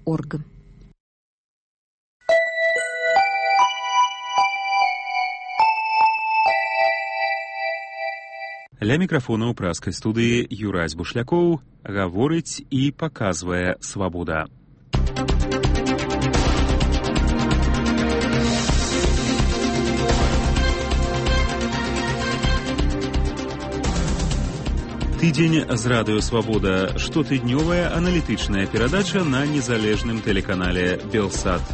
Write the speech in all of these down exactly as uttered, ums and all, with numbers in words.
орг. Ля мікрафона ў праскай студыі Юрась Бушлякоў гаворыць і паказвае свабода. Тыдзень з радыё «Свабода» – штотыднёвая аналітычная перадача на незалежным тэлеканале «Белсат».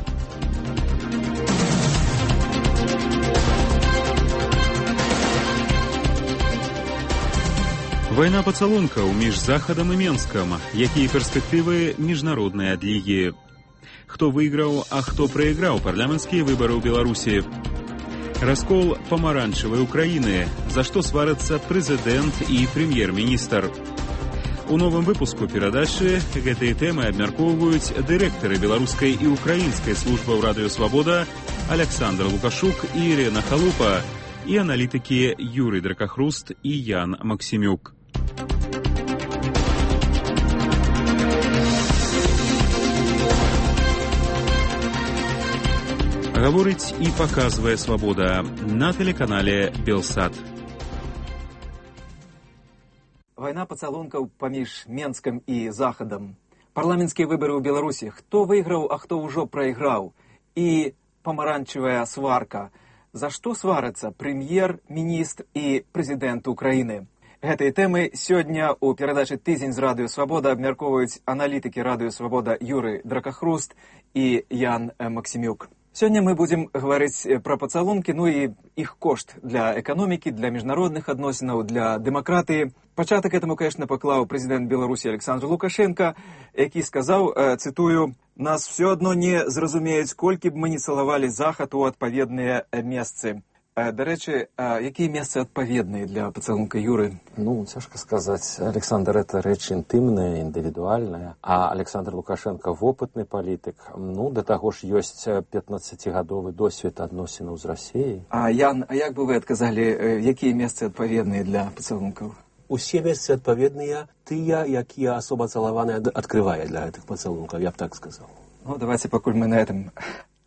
Вайна пацалункаў між Захадам і Менскам. Якія перспектывы міжнароднай адлігі? Хто выйграў, а хто прайграў парламенцкія выбары ў Беларусі? Раскол памаранчавай Украіны. За што сварацца прэзідэнт і прэм'ер-міністр? У новым выпуску перадачы гэтыя тэмы абмяркоўваюць дырэктары беларускай і украінскай службаў радыё «Свабода» Александр Лукашук і Ірына Халупа і аналітыкі Юрый Дракахруст і Ян Максімюк. Гаворыць і паказвае свабода на тэлеканале «Белсат». Вайна пацалункаў паміж Менскам і Захадам. Парламенцкія выбары ў Беларусі. Хто выйграў, а хто ўжо прайграў. І памаранчавая сварка. За што сварацца прэм'ер, міністр і прэзідэнт Украіны? Гэтыя тэмы сёння ў перадачы «Тыдзень з радыё «Свабода» абмяркоўваюць аналітыкі радыё «Свабода» Юрый Дракахруст і Ян Максімюк. Сёння мы будзем гаварыць пра пацалункі, ну і іх кошт для эканомікі, для міжнародных адносінаў, для дэмакратыі. Пачатак этаму, конечно, паклаў прэзідэнт Беларусі Александр Лукашенко, які сказаў, цытую, «Нас все адно не зразумеюць, колькі б мы не цалавалі Захад у адпаведныя месцы». До речі, які месцы адпаведныя для пацалунка, Юры? Ну, цяжка сказаць. Александр, это рэч інтымная, індывідуальная, а Александр Лукашенко вопытны палітык. Ну, да таго ж ёсць пятнаццацігадовы досвед адносінаў з Расіяй. А, Ян, а як бы вы адказалі, якія месцы адпаведныя для пацалункаў? Усе месцы адпаведныя, тыя, якія асоба цалаваная адкрывае для гэтых пацалункаў, я б так сказаў. Ну, давайте, пакуль мы на этом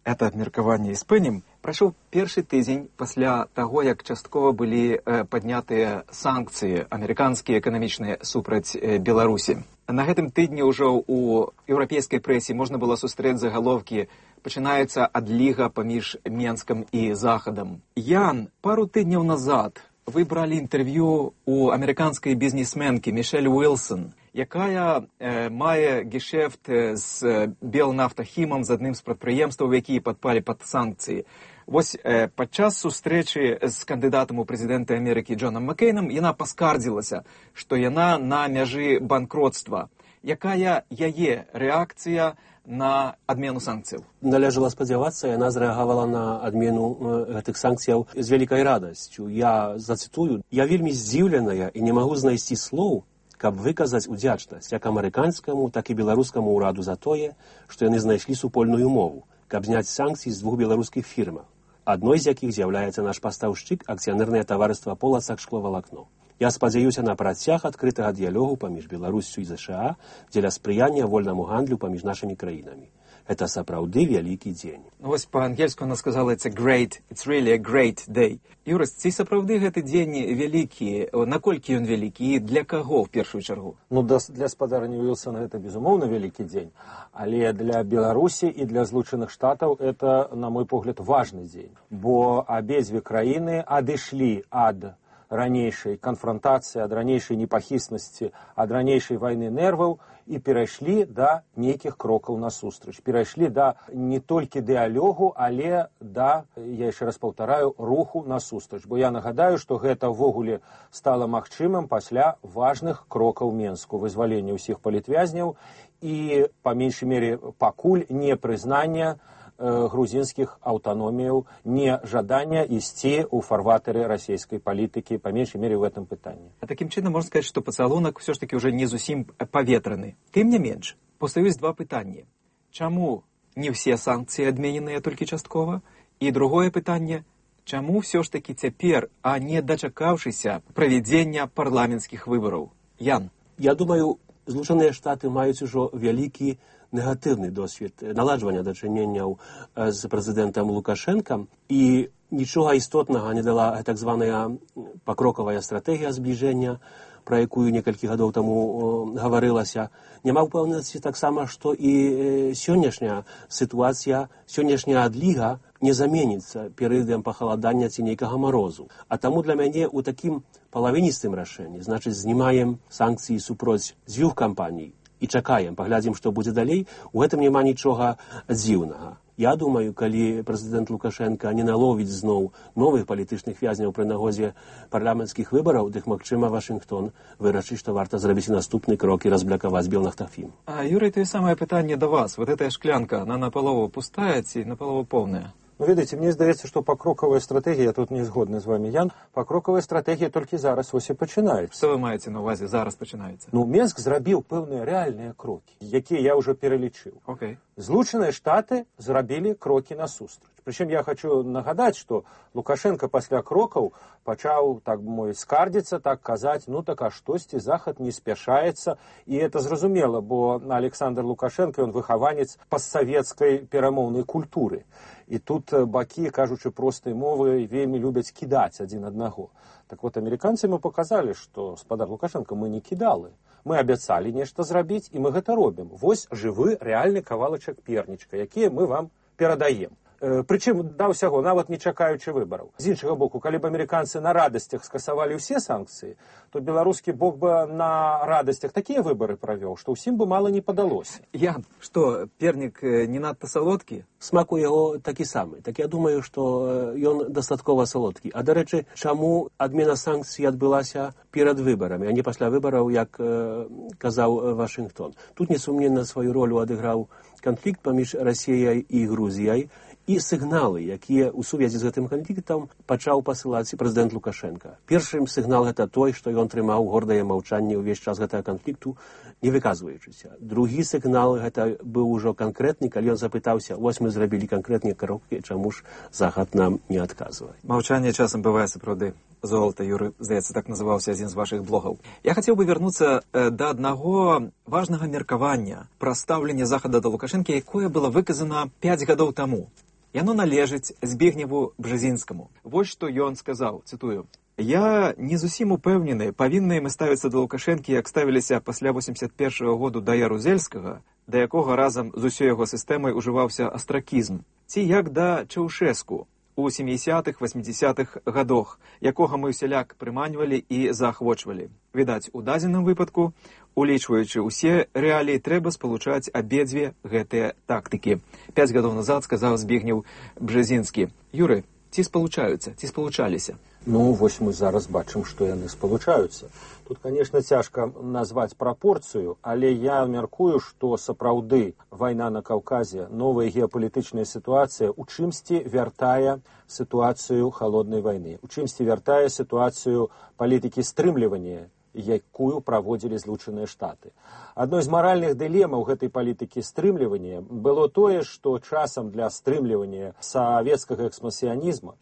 это абмеркаванне і спынім. Прайшоў першы тыдзень пасля таго, як часткова былі э, паднятыя санкцыі амерыканскія эканамічныя супраць э, Беларусі. На гэтым тыдні ўжо ў еўрапейскай прэсе можна было сустрэць загаловкі «Пачынаецца адліга паміж Менскам і Захадам». Ян, пару тыдняў назад вы бралі інтэрв'ю у амерыканскай бізнесменкі Мішэль Уілсон, якая э, мае гешэфт з Белнафтахімам, з адным з прадпрыемстваў, якія падпалі пад санкцыі. Вось э, падчас сустрэчы з кандыдатам у прэзідэнта Амерыкі Джонам Маккейнам яна паскардзілася, што яна на мяжы банкротства. Якая яе рэакцыя на адмену санкцыяў? Належала спадзявацца, яна зрэагавала на адмену гэтых санкцыяў з вялікай радасцю. Я зацытую, «Я вельмі здзіўленая і не магу знайсці слоў, каб выказаць удзячнасць як амерыканскаму, так і беларускаму ўраду за тое, што яны знайшлі супольную мову, каб зняць санкцыі з двух беларускіх фірмаў, адной з якіх з'яўляецца наш пастаўшчык акцыянернае таварыства «Полацак шкловалакно». Я спадзяюся на працяг адкрытага дыялогу паміж Беларуссю і ЗША дзеля спрыяння вольнаму гандлю паміж нашымі краінамі. Это сапраўды вялікі дзень». Вось па-ангельску она сказала «It's a great, it's really a great day». Юрас, ці сапраўды гэты дзень вялікі? Наколькі ён вялікі і для каго ў першую чаргу? Ну, для спадарні Уілсона гэта, безумоўна, вялікі дзень. Але для Беларусі і для Злучаных Штатаў это, на мой погляд, важны дзень. Бо абедзве краіны адышлі ад ранейшай канфронтацыі, ад ранейшай непахіснасці, ад ранейшай вайны нерваў і перайшлі да нейкіх крокаў насустрач. Перайшлі да не толькі дыялогу, але да, я яшчэ раз паўтараю, руху насустрач. Бо я нагадаю, што гэта ўвогуле стала магчымым пасля важных крокаў Менску, вызвалення ўсіх палітвязняў і, па меншай мере, пакуль не прызнання грузінскіх аўтаноміяў, не жадання ісці ў фарватары расійскай палітыкі, па меншай мере, ў гэтым пытанні. А такім чынам можна сказаць, што пацалунак ўсё ж такі ўжо не зусім паветраны. Тым не менш, пастаюць два пытанні. Чаму не ўсе санкцыі адмененыя толькі часткова? І другое пытанне, чаму ўсё ж такі цяпер, а не дачакаўшыся правядзення парламенцкіх выбараў? Ян. Я думаю, Злучаныя Штаты маюць ужо вялікі негативний досвід наладжування дачыненняў з прэзідэнтам Лукашэнкам, і нічога істотнага не дала так званая пакрокавая стратэгія збліжэння, про якую некалькі гадоў таму гаварылася. Няма ўпэўненасці таксама, што і сённяшняя сітуацыя, сённяшняя адліга не заменіцца перыядам пахаладання ці нейкага марозу. А таму для мяне ў такім палавіністым рашэнні, значыць, знімаем санкцыі супроць дзвюх кампаній і чакаем, паглядзім, што будзе далей, у гэтым няма нічога дзіўнага. Я думаю, калі прэзідэнт Лукашенко не наловіць зноў новых палітычных вязняў пры нагозе парламенцкіх выбараў, дык, магчыма, Вашынгтон вырашыць, што варта зрабіць наступны крок і разблакаваць Белнафтафім. А, Юрий, то самое пытанне до вас. Вот эта шклянка, она наполову пустая ці наполову полная? Ну, видите, мне здаецца, што пакрокавая стратэгія, я тут не згодны з вами, Ян, пакрокавая стратэгія толькі зараз вось і пачынаецца. Што вы маеце на увазе, зараз пачынаецца? Ну, Менск зрабіў пэўныя рэальныя крокі, якія я ўжо пералічыў. Okay. Злучаныя Штаты зрабілі крокі насустрач. Прычым я хочу нагадаць, што Лукашенко пасля крокаў пачаў, так мой, скардзіцца, так казаць, ну так а штосьці Захад не спяшаецца. І это зразумела, бо Александр Лукашенко, ён выхаванец постсавецкай перамоўнай культуры. І тут бакі, кажучы простай мовы, вельмі любяць кідаць адзін аднаго. Так вот, амерыканцы мы показалі, што, спадар Лукашенко, мы не кідалы. Мы абяцалі нешта зрабіць, і мы гэта робім. Вось жывы, рэальны кавалачак пернічка, якія мы вам перадаем. Прычым да ўсяго, нават не чакаючы выбараў. З іншага боку, калі б амерыканцы на радасцях скасавалі ўсе санкцыі, то беларускі бок бы на радасцях такія выбары правёў, што ўсім бы мала не падалося. Ян, што, пернік не надта салодкі? Смак у яго такі самы. Так я думаю, што ён дастаткова салодкі. А, дарэчы, чаму адмена санкцый адбылася перад выбарамі, а не пасля выбараў, як э, казаў Вашынгтон? Тут несумненна сваю ролю адыграў канфлікт паміж Расіяй і Грузіяй, і сігналы, якія ў сувязі з гэтым канфліктам пачаў пасылаць прэзідэнт Лукашенко. Першым сігнал гэта той, што ён трымаў гордае маўчанне ўвесь час гэтага канфлікту, не выказваючыся. Другі сігнал гэта быў ужо канкрэтны, калі ён запытаўся, вось мы зрабілі канкрэтныя крокі, чаму ж Захад нам не адказвае. Маўчанне часам бывае сапраўды золата, Юры, здаецца, так называўся адзін з вашых блогаў. Я хацеў бы вярнуцца э, да аднаго важнага меркавання пра стаўленне Захада да Лукашэнкі, якое было выказана пяць гадоў таму. Яно належыць Збегневу Бжезінскаму. Вось што ён сказаў, цытую. «Я не зусім упэўнены, павінны мы ставіцца да Лукашэнкі, як ставіліся пасля восемьдесят першага году да Ярузельскага, да якога разам з усёй яго сістэмай ужываўся астракізм, ці як да Чаўшэску у сямідзясятых восьмідзясятых гадах, якога мы ўсяляк прыманьвалі і заахвочвалі. Відаць, у дадзеным выпадку, улічваючы ўсе рэаліі, трэба спалучаць абедзве гэтыя тактыкі». Пяць гадоў назад сказаў Збегнеў Бжезінскі. Юры, ці спалучаюцца, ці спалучаліся? Ну, вось мы зараз бачым, што яны спалучаюцца. Тут, конечно, цяжка назваць прапорцыю, але я мяркую, што сапраўды вайна на Каўказе, новая геапалітычная сітуацыя у чымсьці вяртае сітуацыю халоднай вайны, у чымсьці вяртае сітуацыю палітыкі стрымлівання, якую праводзілі Злучаныя Штаты. Адной з маральных дылемаў гэтай палітыкі стрымлівання было тое, што часам для стрымлівання савецкага экспансіянізма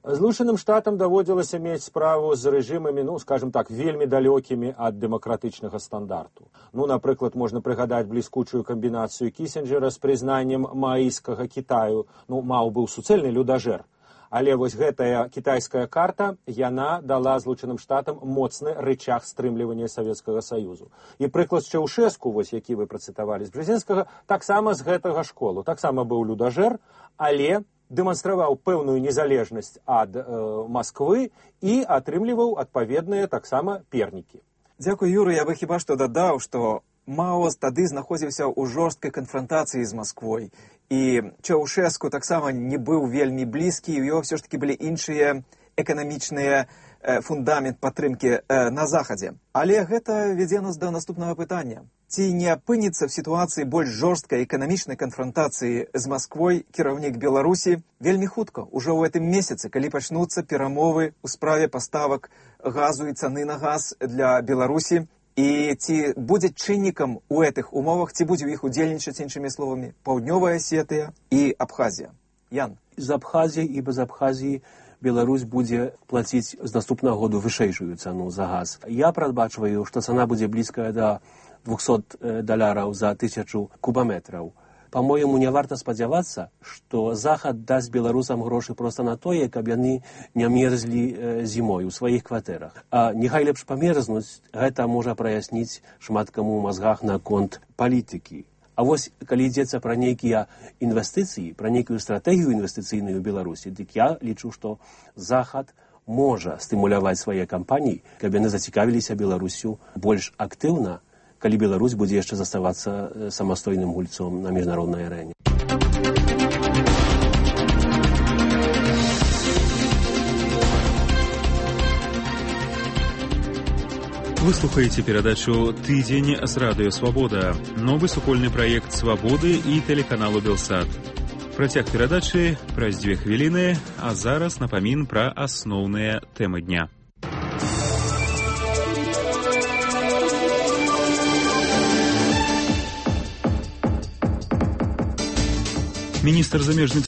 Злучаным Штатам даводзілася мець справу з рэжымамі, ну, скажем так, вельмі далёкімі ад дэмакратычнага стандарту. Ну, напрыклад, можна прыгадаць бліскучую камбінацыю Кісінджера з прызнаннем мааіскага Кітаю. Ну, Мао быў суцэльны людажэр. Але вось гэтая кітайская карта, яна дала Злучаным Штатам моцны рычаг стрымлівання Савецкага Саюзу. І прыклад Чаўшэску, вось які вы працытавалі з Бжезінскага, таксама з гэтага школу. Таксама быў людажэр, але дэманстраваў пэўную незалежнасць ад э, Масквы і атрымліваў адпаведныя таксама пернікі. Дзякуй, Юры, я бы хіба што дадаў, што Мао тады знаходзіўся ў жорсткай канфрантацыі з Масквой, і Чаўшэску таксама не быў вельмі блізкі, і ў яго ўсё ж такі былі іншыя эканамічныя э, фундамент падтрымкі э, на Захадзе. Але гэта вядзе нас да наступнага пытання. Ці не апыніцца в сітуацыі больш жорсткай эканамічнай канфрантацыі з Масквой кіраўнік Беларусі вельмі хутка, ужо ў гэтым месяцы, калі пачнуцца перамовы ў справе паставак газу і цаны на газ для Беларусі, і ці будзе чыннікам у гэтых умовах, ці будзе ў іх удзельнічаць, іншымі словамі, Паўднёвая Асетыя і Абхазія? Ян. З Абхазіі і без Абхазіі Беларусь будзе плаціць з наступнага году вышэйшую цану за газ. Я прадбачваю, што цана будзе блізкая да двухсот даляраў за тысячу кубаметраў. По-моему, не варта спадзявацца, што Захад дасць беларусам грошы проста на тое, каб яны не мерзлі зімой у сваіх кватэрах. А няхай лепш памерзнуць, гэта можа праясніць шмат каму ў мазгах наконт палітыкі. А вось, калі ідзецца пра нейкія інвестыцыі, пра нейкую стратэгію інвестыцыйную ў Беларусі, дык я лічу, што Захад можа стымуляваць свае кампаніі, каб яны зацікавіліся Беларусю больш актыўна, калі Беларусь будзе яшчэ заставацца самастойным гульцом на міжнароднай арэне. Вы слухаеце перадачу «Тыдзень» з радыё «Свабода», новы супольны праект «Свабоды» і тэлеканалу «Белсат». Працяг перадачы праз дзве хвіліны, а зараз напамін пра асноўныя тэмы дня. Міністр замежных